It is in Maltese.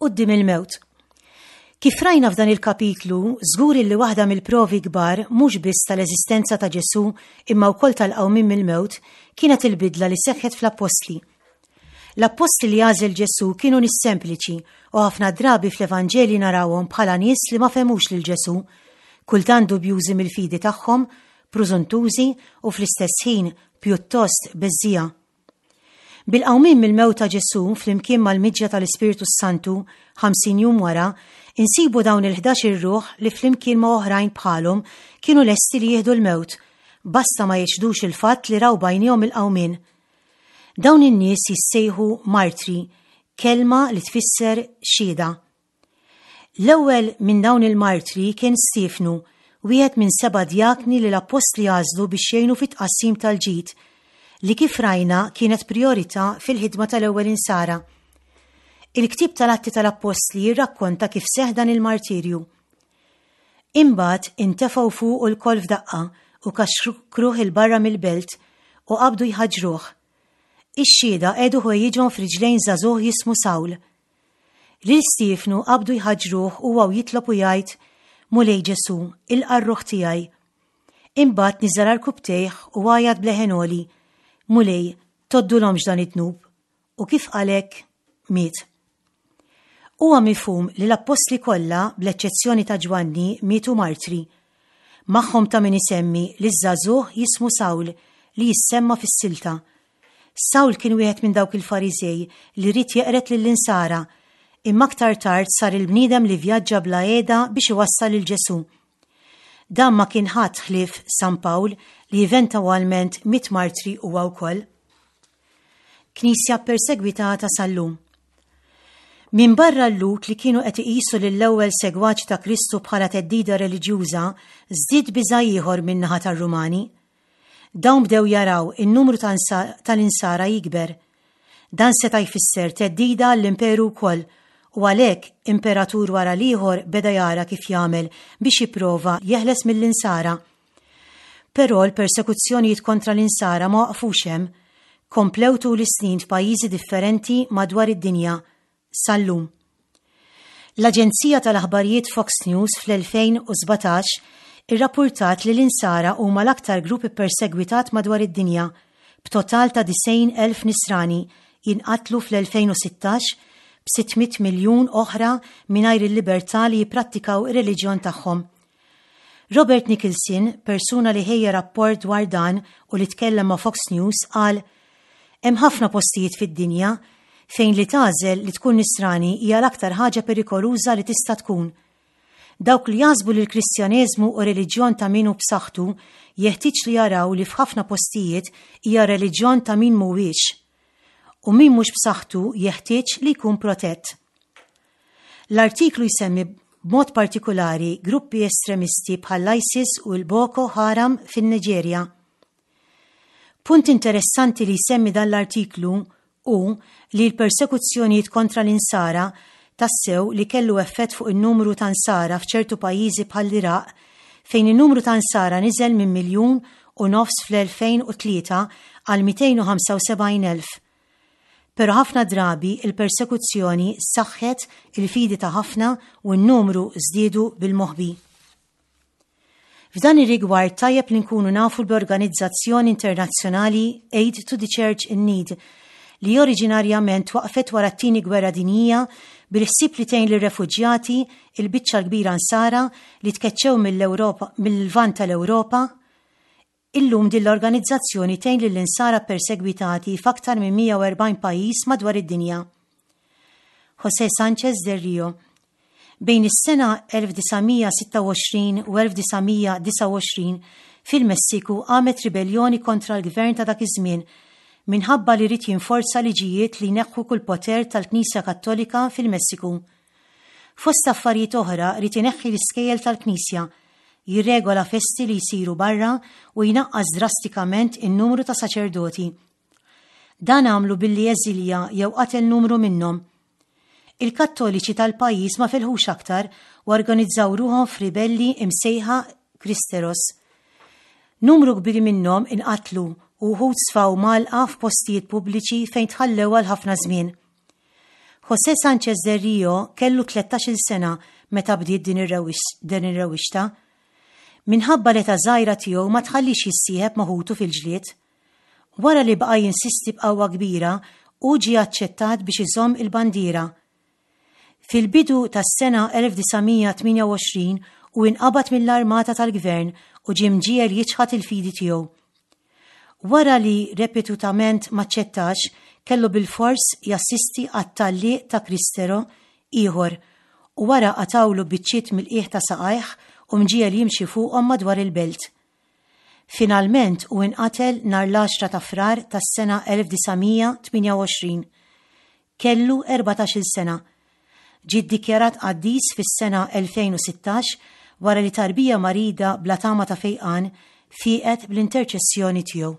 Quddiem il-mewt. Kif rajna f'dan il-kapitlu, żgur illi waħda mill-provi kbar mhux biss tal-eżistenza ta' Ġesù imma wkoll tal-qawmien mill-mewt kienet il-bidla li seħħet fl-appostli. L-appostli li għażel Ġesù kienu nies sempliċi u ħafna drabi fl-Evanġelji narawhom bħala nies li ma fehmux lil Ġesù, kultant dubjużi mill-fidi tagħhom, prużuntużi u fl-istess ħin pjuttost beżżiegħa. Bil-qawmien mill-mewt ta' Ġesù flimkien mal-miġja tal-Ispirtu s-Santu 50 jum wara, insibu dawn il-ħdax-il ruħ li flimkien ma' oħrajn bħalhom kienu lesti li jieħdu l-mewt, basta ma jiċħdux il-fatt li raw b'għajnejhom il-qawmien. Dawn in-nies jissejħu martri, kelma li tfisser xhieda. L-ewwel minn dawn il-martri kien Stiefnu, wieħed minn seba' djakni li l-appostli għażlu biex jgħinu fit-tqassim tal-ġid, li kif rajna kienet prijorità fil-ħidma tal-ewwel insara. Il-ktieb tal-Atti tal-Appostli jirrakkonta kif seħħ dan il-martirju. Imbagħad intefgħu fuqu lkoll f'daqqa u kaxkruh 'il barra mill-belt u qabdu jħaġġruh. Ix-xhieda qiegħdu ħwejjiġhom f'riġlejn żagħżugħ jismu Sawl. Lil Stiefnu qabdu jħaġġruh huwa u jitlob u jgħid, Mulej Ġesù, ilqa' r-ruħ tiegħi. Imbagħad niżel għarkupptejh u għajat b'leħen għoli, Mulej, tgħoddulhomx dan id-dnub. U kif qal hekk, miet. Huwa mifhum li l-appostli kollha, bl-eċċezzjoni ta' Ġwanni, mietu martri. Magħhom ta' min isemmi liż-żagħżugħ jismu Sawl li jissemma fis-silta. Sawl kien wieħed minn dawk il-Fariżej li ried jeqred lill-Insara, imma aktar tard sar il-bniedem li vvjaġġa bla qiegħda biex iwassal lil Ġesù. Dan ma kien ħadd ħlief San Pawl li eventwalment miet martri huwa wkoll. Knisja ppersegwitata sal-lum. Minbarra l-Lhud li kienu qed iqisu lill-ewwel segwaċi ta' Kristu bħala theddida reliġjuża, żdied biża' ieħor min-naħa tar-Rumani. Dawn bdew jaraw in-numru tal-Insara jikber. Dan seta' jfisser theddida għall-imperu wkoll u għalhekk imperatur wara l-ieħor beda jara kif jagħmel biex jipprova jeħles mill-Insara. Però l-persekuzzjonijiet kontra l-Insara ma waqfux hemm. Komplew tul is-snin f'pajjiżi differenti madwar id-dinja, sal-lum. L-aġenzija tal-aħbarijiet Fox News fl-2017 irrappurtat li l-Insara huma l-aktar grupp ippersegwitat madwar id-dinja, b'total ta' 90,000 Nisrani jinqatlu fl-2016 b'600 miljun oħra mingħajr il-libertà li jipprattikaw ir-reliġjon tagħhom. Robert Nicholson, persuna li ħejja rapport dwar dan u li tkellem ma' Fox News, qal, Hemm ħafna postijiet fid-dinja fejn li tagħżel li tkun Nisrani hija l-aktar ħaġa perikoluża li tista' tkun. Dawk li jaħsbu li l-Kristjaneżmu hu reliġjon ta' min hu b'saħħtu jeħtieġ li jaraw li f'ħafna postijiet hija reliġjon ta' min mhuwiex. U min mhux b'saħħtu jeħtieġ li jkun protett. L-artiklu jsemmi b'mod partikulari gruppi estremisti bħall-ISIS u l-Boko Haram fin-Niġerja. Punt interessanti li jsemmi dan l-artiklu hu li l-persekuzzjonijiet kontra l-Insara tassew li kellu effett fuq in-numru ta' Nsara f'ċertu pajjiżi bħall-Iraq fejn in-numru ta' Nsara niżel minn 1.5 miljon fl-2003 għal 275,000. Però ħafna drabi l-persekuzzjoni saħħet il-fidi ta' ħafna u n-numru żdiedu bil-moħbi. F'dan ir-rigward tajjeb li nkunu nafu l-organizzazzjoni internazzjonali Aid to the Church in Need li oriġinarjament twaqfet wara t-Tieni Gwerra Dinjija bil-ħsieb li tgħin lir-refuġjati, il-biċċa l-kbira Nsara, li tkeċċew mill-Ewropa mill-Lvant tal-Ewropa. Illum din l-organizzazzjoni tgħin lill-Insara ppersegwitati f'aktar minn 140 pajjiż madwar id-dinja. José Sánchez del Rio Bejn is-sena 1926 u 1929 fil-Messiku qamet ribelljoni kontra l-gvern ta' dak iż-żmien minħabba li ried jinforza liġijiet li jneħħu kull poter tal-Knisja Kattolika fil-Messiku. Fost affarijiet oħra ried ineħħi l-iskejjel tal-Knisja, jirregola festi li jsiru barra u jnaqqas drastikament in-numru ta' saċerdoti. Dan għamlu billi eżilja jew qatel numru minnhom. Il-Kattoliċi tal-pajjiż ma felħux aktar u organizzaw ruħhom f'ribelli imsejħa Cristeros. Numru kbir minnhom inqatlu u wħud sfaw mgħallqa f'postijiet pubbliċi fejn tħallew għal ħafna żmien. José Sanchez del Rio kellu 13-il sena meta bdiet din ir-rewwixta. Minħabba l-età żgħira tiegħu ma tħalliex jissieħeb ma' ħutu fil-ġlied. Wara li baqa' jinsisti b'qawwa kbira, hu ġie aċċettat biex iżomm il-bandiera. Fil-bidu tas-sena 1928 hu inqabad mill-armata tal-gvern u ġie mġiegħel jiċħad il-fidi tiegħu. Wara li repetutament m'aċċettax, kellu bilfors jassisti għat-tgħalliq ta' Cristero ieħor u wara qatgħulu biċċiet mill-qiegħ ta' saqajh u mġiegħel jimxi fuqhom madwar il-belt. Finalment hu inqatel nhar l-għaxra ta' Frar tas-sena 1928. Kellu 14-il sena. Ġie ddikjarat qaddis fis-sena 2016 wara li tarbija marida bla tama ta' fejqan fieqet bl-interċessjoni tiegħu.